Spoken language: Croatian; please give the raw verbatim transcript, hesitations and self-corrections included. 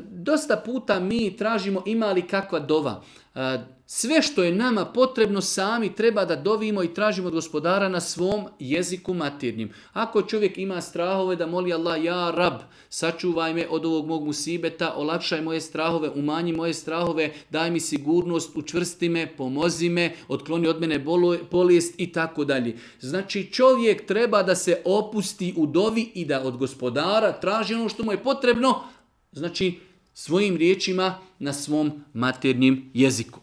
Dosta puta mi tražimo ima li kakva dova. Sve što je nama potrebno sami treba da dovimo i tražimo od gospodara na svom jeziku maternjem. Ako čovjek ima strahove da moli Allah, ja rab, sačuvaj me od ovog mog musibeta, olakšaj moje strahove, umanji moje strahove, daj mi sigurnost, učvrsti me, pomozi me, otkloni od mene bolest i tako dalje. Znači čovjek treba da se opusti u dovi i da od gospodara traži ono što mu je potrebno, znači svojim riječima na svom maternjem jeziku.